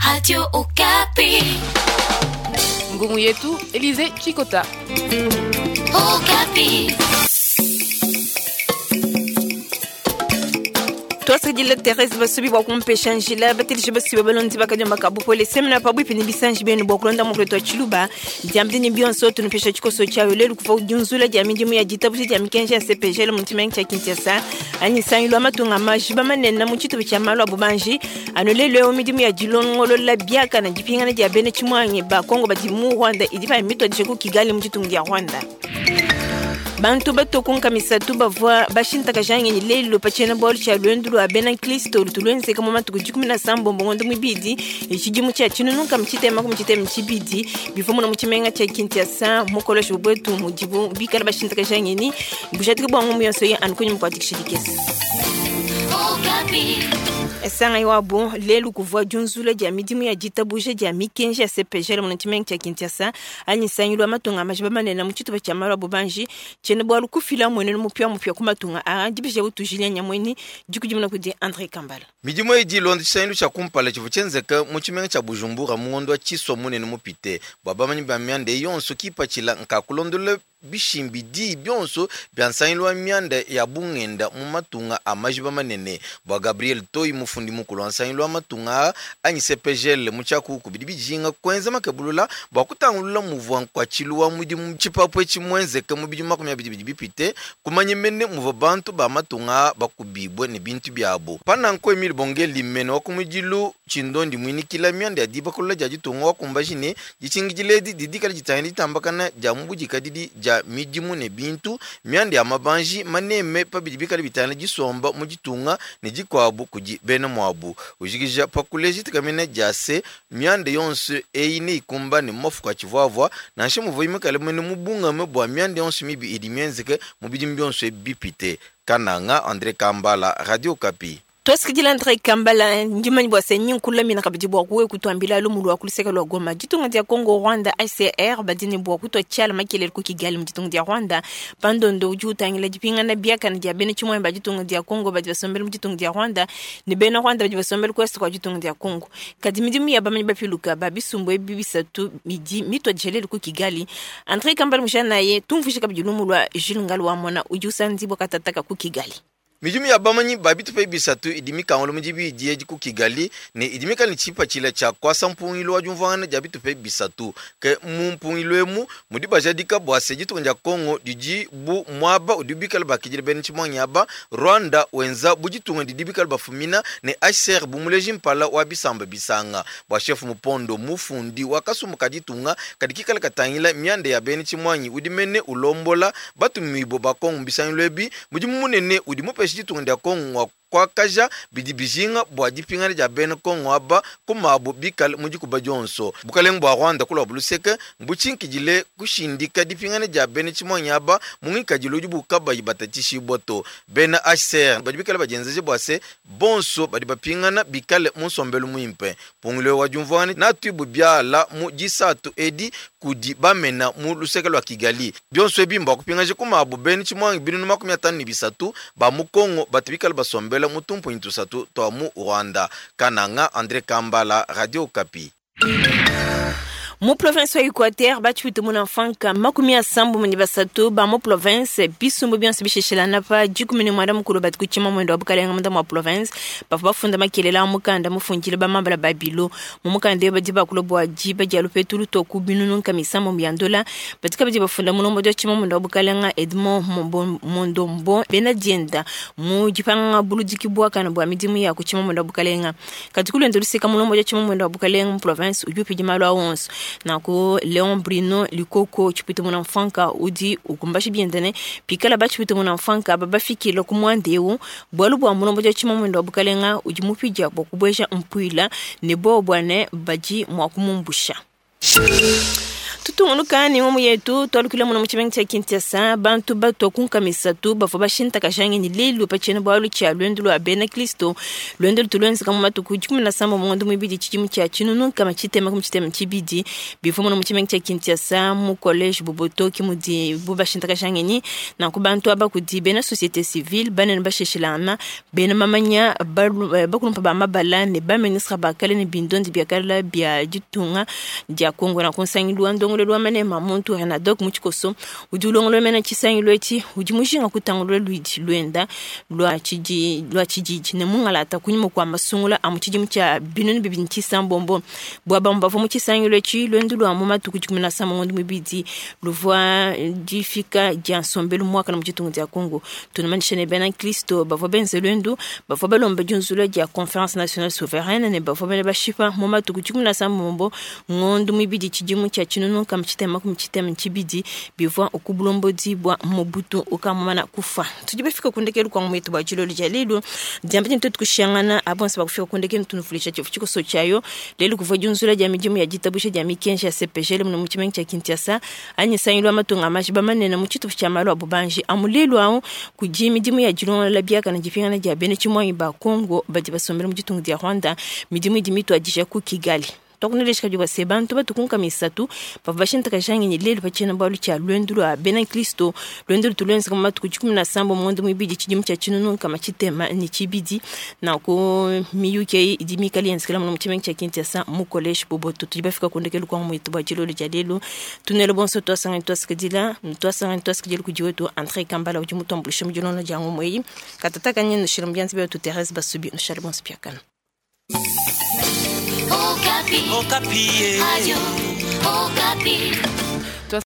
Radio Okapi. Ngumu yetu Elize Chikota. Okapi. Twasakidila Therese Basubi bua kumpesha njila bateleji basubi balondi bakadiomba ka bupole semena pabuipi ne bisanji bienu bua kulonda mukuletu wa tshiluba diambedi ne bionso tunupesha tshikoso tshiayo lelu kuva kudiunzula dia midimu ya ditabuja dia mikenji ya CPGL mu tshimenga tshia Kinshasa anyi nsangilu wa matunga majiba manene mu tshitupa tshia malu a bubanji anu lelu eu midimu ya dilongolola biakana dipingana dia bena tshimuangi ba Kongo badi mu Rwanda idi payi mituadije ku Kigali mu ditunga dia Rwanda. Bantu batue ku nkama isatu bavua bashintakaja ngenyi lelu pa tshiena-bualu tshia luendu lua bena nkristo lutu luenzeka mu matuku 17 ngondo muibidi tshidimu tshia 1962 bivua muna mu tshimenga tshia Kinshasa mu koleshe buetu mudibu bikale bashintakaja ngenyi bujadiki bua ngumu yonso yi anu kunyima kua dikisha dikese. Sangai wabu lelu kuvua diunzula dia midimu ya ditabuja dia mikenji ya CPGL mu tshimenga tshia Kinshasa anyi nsangilu wa matunga a majiba manene mu tshitupa tshia malu a bubanji tshiena bualu kufila mmuenenu mupiamupia ku matunga aa dibisha butu Julien Nyamueni dikudimuna kudi Andre Kambala. Midimu eyi idi ilonda tshisangilu tshia kumpala tshivua tshienzeke mu tshimenga tshia Bujumbura mu ngondo wa Tshisua munene mupite. Bua bamanyi ba mianda eyi yonso, kipatshila nka kulondolola bishimbidi bionso bia nsangilu wa mianda ya bungenda mu matunga a majiba manene. Bua Gabriel Toyi, mufundi mukulu wa nsangilu wa matunga aa anyi CPGL mu tshiakuku, bidi bijinga kuenza makebulula bua kutangulula muvua nkuatshilu wa mudimu mu tshipapu etshi muenzeke mu bidimu 20 bidi bipite, kumanya mene muvua bantu ba matunga aa bakubibue ne bintu biabu. Pa nanku, Emile Bongeli, mene wa kumudilu tshindondi muinikila mianda ya dibakulula dia ditunga wakumbaji ne, ditshingidila edi didi dikale ditangila ditambakana dia mu budikadidi dia midimu ne bintu, mianda ya mabanji maneme pa bidi bikale bitangila disomba mu ditunga ne dikuabu kudi bena muabu. Ujikija pa kuleja ditekemena dia se, mianda yonso eyi neyikumbane mu mafuku atshivuavua, nansha muvuayi mikale mene mubungame bua mianda yonso mibi idi mienzeke mu bidimu bionso ebi bipite. Kananga, Andre Kambala, Radio Okapi. Tuasakidila Andre Kambala, ndi mumanye bua se nyi nkulamina kabidi bua kuwe kutuambila lumu lua ku luseke lua Goma. Ditunga dia Congo Rwanda HCR badi ne bua kutua tshiala makelele ku Kigali mu ditunga dia Rwanda. Pa ndondo udi utangila dipingana biakane dia bena tshimuangi ba ditunga dia Congo badi basombele mu ditunga dia Rwanda ne bena Rwanda badi basombele ku est kua ditunga dia Congo. Kadi midimu ya bamanyi bapiluka ba bisumbu ebi bisatu idi mituadije lelu ku Kigali. Andre Kambala mujanaye tumvuije kabidi lumu lua Jules Ngalu wa Mona udi usanzibua katataka ku Kigali. Midimu ya bamanyi ba bitupa ebi bisatu idi mikangula mu dibidi edi ku Kigali ne idi mikale ne tshipatshila tshia kuasa mpungilu wa diumvuangana dia bitupa ebi bisatu. Ke mu mpungilu emu mudi bajadika bua se ditunga dia Congo didi bu muaba udibu bikale bakidila bena tshimuangi aba, Rwanda wenza bu ditunga didi bikale bafumina ne HCR bu muleji mpala wa bisamba bisanga. Bua Chef Mupondo, mufundi wa kasumbu ka ditunga kadi kikale katangila mianda ya bena tshimuangi udi mene ulombola batumibue ba Congo mu bisangilu ebi, mudimu munene udi mupesha ditunga dia Congo ngua kuakaja bidi bijinga bua dipingana dia bena Congo aba ku mabu bikale mu dikuba dionso. Bukalenge bua Rwanda ku luabu luseke mbutshinkidile kushindika dipingana dia bena tshimuangi aba mu ngikadilu udibu kabayi batatshishibua to. Bena HCR badi bikale badienzeja bua se, bonso badi bapingana bikale mu nsombelu muimpe. Mpungilu eu wa diumvuangana neatuibue biala mu disatu edi kudi bamena mu luseke lua Kigali. Bionso ebi mbua kupingaja ku mabu bena tshimuangi 53 ba mu Congo batu bikale basombela mu tumpunyi tusatu tua mu Rwanda. Kananga, Andre Kambala, Radio Okapi. Mu province wa Equateur batshipite muna mfanka 33 ba mu province bisumbu bionso bisheshilana pa 19 badi ku tshimamwenda wa bukalenga munda mua province bavua bafunda makelela a mukanda mufundile bamambala ba bilo mu mukanda eu badi bakula bua diba dia lupetu lutua ku 600 bia ndola badi kabidi bafunda mulombodi wa tshimamwenda wa bukalenga Edmond Mondombo bena dienda mu dipanga buludiki buakane bua midimu ya ku tshimamwenda wa bukalenga kadi ku luende luseka mulombodi wa tshimamwenda wa bukalenga mu province udi upidi malu a onso nanku Leon Bruno Likoko tshipite muna mfanka udi ukumbashi biende ne pikala batshipite muna mfanka aba bafikile ku muanda eu bualu bua mulombodi wa tshimamwenda wa bukalenga udi mupidia bua kubueja mpuila ne bobu bua ne badi mua kumumbusha. Tutungunuka ne ngumu yetu tualukila muno mu tshimenga tshia Kinshasa. Bantu batua ku nkama isatu bavua bashintakaja ngenyi lelu pa tshiena-bualu tshia luendu lua bena Kristo. Luendu lutu luenzeka mu matuku 17 mu ngondo muibidi tshidimu tshia tshinunu nkama tshitema ku tshitema tshibidi. Bivua muno mu tshimenga tshia Kinshasa mu college Boboto ke mudibu bashintakaja ngenyi. Nanku bantu aba kudi bena societe civile, banene basheshilangana, bena mamanya, bakulumpa ba mabala ne ba ministre ba kale ne bindondi bia kale bia ditunga dia Kongo. Nanku nsangilu wa ndongoluelu wa manema a muntu Renadoc mu tshikoso udi ulongolola mena tshisangilu etshi udi mujinga kutangulula luidi luenda lua tshidi lua tshididi ne mungalata kunyima kua masungula a mu tshidimu tshia binunu bibidi ne tshisambombo. Bua bamue bavua mu tshisangilu etshi, luendu lua mu matuku dikumi na asambombo ngondo muibidi luvua difika dia nsombelu muakane mu ditunga dia Kongo. Tunumanyisha ne bena nkristo bavua benze luendu bavua balomba diunzulula dia Conference Nationale Souveraine ne bavua bena bashipa mu matuku 17 ngondo muibidi tshidimu tshia tshinunu nkama tshitema makumi tshitema ne tshibidi bivua ku bulombodi bua Mobutu ukamumana kufua. Tudi bafika ku ndekelu kua ngumu yetu bua dilolo dia lelu. Diamba dini tuetu kushiyangana aba bonso bakufika ku ndekelu tunuvuluija tshivu tshikoso tshiayo. Lelu kuvua diunzulula dia midimu ya ditabusha dia mikenji ya CPGL muno mu tshimenga tshia Kinshasa anyi nsangilu wa matunga a majiba manene mu tshitupa tshia malu a bubanji amu lelu au kudi midimu ya dilongolola biakane dipingana dia bena tshimuangi ba Congo badi basombele mu ditunga dia Rwanda. Midimu idi mituadija ku Kigali. Tuakunelesha kabidi bua se, bantu batu ku nkama isatu bavua bashintakaja ngenyi lelu pa tshiena-bualu tshia luendu lua bena nkristo, luendu lutu luenzeka mu matuku dikumi na asambombo mu ngondo muibidi tshidimu tshia tshinunu nkama tshitema ne tshibidi. Nanku miyuki eyi idi mikale yenzekela muno mu tshimenga tshia Kinshasa mu College Boboto. Tudi bafika ku ndekelu kua ngumu yetu bua dilolo dia lelu. Tunele bonso tuasanganyi tuasakidila, tuasanganyi tuasakidila kudi wetu Andre Kambala udi mutuambuluishe mu dilonga dia ngumu eyi. Katataka nye nushile mu bianza bia wetu Therese Basubi, nushale bonso biakana. Okapi. Okapi. Radio Okapi.